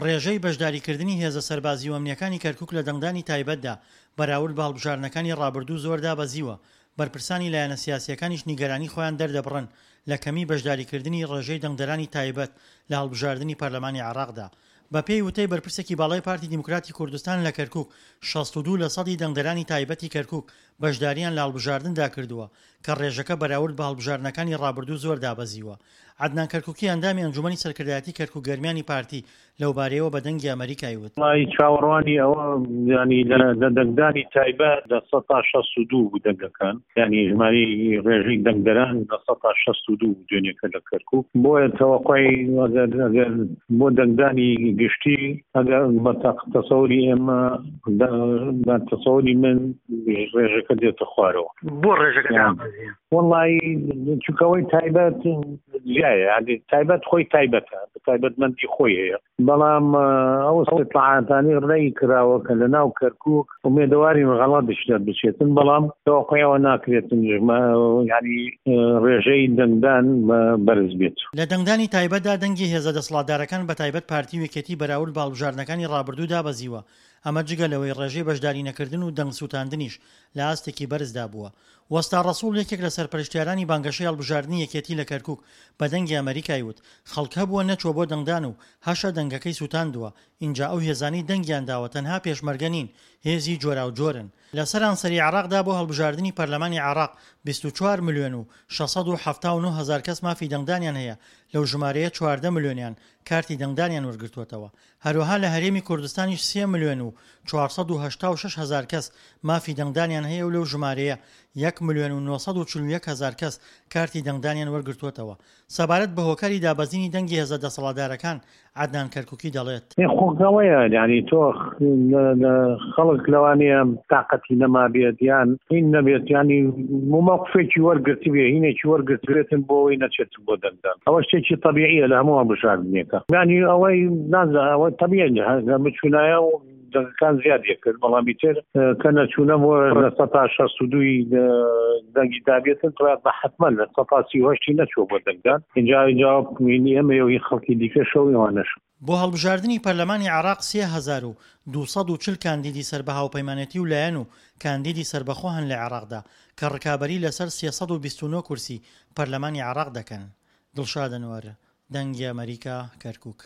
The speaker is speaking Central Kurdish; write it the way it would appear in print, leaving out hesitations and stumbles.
ڕێژەی بەشداریکردنی هێزە سەربازی و ئەمنییەکانی کەرکوک لە دەنگدانی تایبەتدا بەراورد بە هەڵبژاردنەکانی ڕابردوو زۆر دابەزیوە، بەرپرسانی لایەنە سیاسییەکانیش نیگەرانی خۆیان دەردەبڕن لە کەمی بەشداریکردنی ڕێژەی دەنگدەرانی تایبەت لە هەڵبژاردنی پەرلەمانی عێراقدا. بەپێی وتەی بەرپرسێکی باڵای پارتی دیموکراتی کوردستان لە کەرکوک، 62 لەسەدی دەنگدەرانی تایبەتی کەرکوک بەشدارییان لە هەڵبژاردندا کردووە، کە ڕێژەکە بەراورد بە هەڵبژاردنەکانی ڕابردوو زۆر دابەزیوە. عەدنان کەرکوکی ئەندامی ئەنجومەنی سەرکردایەتی کەرکوک گەرمیانی پارتی لەوبارەیەوە بە دەنگی ئەمەریکای وت. وەڵایی چاوەڕوانی ئەوە یانی لە دەنگدانی تایبەت 62% بوو دەنگەکان یانی ژمارەی ڕێژەی دەنگدەران 62% بوو دوێنێکە لە کەرکوک بۆیە تەوەقوعی ئەگەر ئەگەر بۆ دەنگدانی گشتی ئەگەر بە تەسەوری ئێمە بە تەسەوری من ڕێژەکە دێتە خوارەوە. بۆ ڕێژەکە دابەزیە؟ وەڵایی چونکە ئەوەی تایبەت جیایە یانی تایبەت خۆی تایبەتە تایبەتمەندی خۆی هەیە بەڵام ئەو استطلاعاتانی ڕێی کراوە کە لە ناو کەرکوک ئومێدەوارین غەڵەتیش دەربچێتن بەڵام تەوەقوعی ئەوە ناکرێتن یانی ڕێژەی دەنگدان بەرز بێت. لە دەنگدانی تایبەتدا دەنگی هێزە دەسەڵاتدارەکان بەتایبەت پارتی و یەکێتی بەراورد بە هەڵبژاردنەکانی ڕابردوو دابەزیوە، ئەمە جگە لەوەی ڕێژەی بەشدارینەکردن و دەنگ سووتاندنیش لە ئاستێکی بەرزدا بووە. وەستا ڕەسوڵ یەکێک لە سەرپەرشتیارانی بانگەشەی هەڵبژاردنی یەکێتی لە کەرکوک بە دەنگی ئەمەریکای وت، خەڵک هەبووە نەچووە بۆ دەنگدان و هەشە دەنگەکەی سووتاندووە، ئینجا ئەو هێزانەی دەنگیان داوە تەنها پێشمەرگە نین، هێزی جۆراوجۆرن. لە سەرانسەری عێراقدا بۆ هەڵبژاردنی پەرلەمانی عێراق 24 ملیۆن و 679 هەزار کەس مافی دەنگدانیان هەیە، لەو ژمارەیە 14 ملیۆنیان کارتی دەنگدانیان وەرگرتووەتەوە. هەروەها لە هەرێمی کوردستانیش سێ ملیۆن و 486 هەزار کەس مافی دەنگدانیان هەیە و لەو ژمارەیە یەک ملیۆن و 941 هەزار کەس کارتی دەنگدانیان وەرگرتووەتەوە. سەبارەت بە هۆکاری دابەزینی دەنگی هێزە دەسەڵاتدارەکان، عەدنان کەرکوکی دەڵێت. خۆ ئەوەیە یانی تۆ خەڵک لەوانەیە تاقەتی نەمابێت یان هین نەبێت یانی مەوقفێکی وەرگرتبێ هینێکی وەرگرتبێتن بۆ ئەوەی نەچێت بۆ دەنگدان ئەوە شتێکی تەبیعیە لە هەموو هەڵبژاردنێکە یانی ئەوەی نازانم ئەوە تەبیعی بچوونایە و دەنگەکان زیاد کرد بەڵام ئیتر کە نەچوونە بۆ 62%ی دەنگی دابێتن بە حتمما 38%ی نەچووە بۆ دەنگدان اینجا اینجا ئێمە و خەڵکی دیکە شەو ئەوانەش. بۆ هەڵبژاردنی پەرلەمانی عێراق 3240 کاندیدی سەر بە هاوپەیمانێتی و لایەن و کاندیدی سەربەخۆ هەن لە عێراقدا کە ڕکابەری لەسەر 329 کورسی پەرلەمانی عێراق دەکەن. دڵشاد ئەنوەر، دەنگی ئەمەریکا، کەرکوک.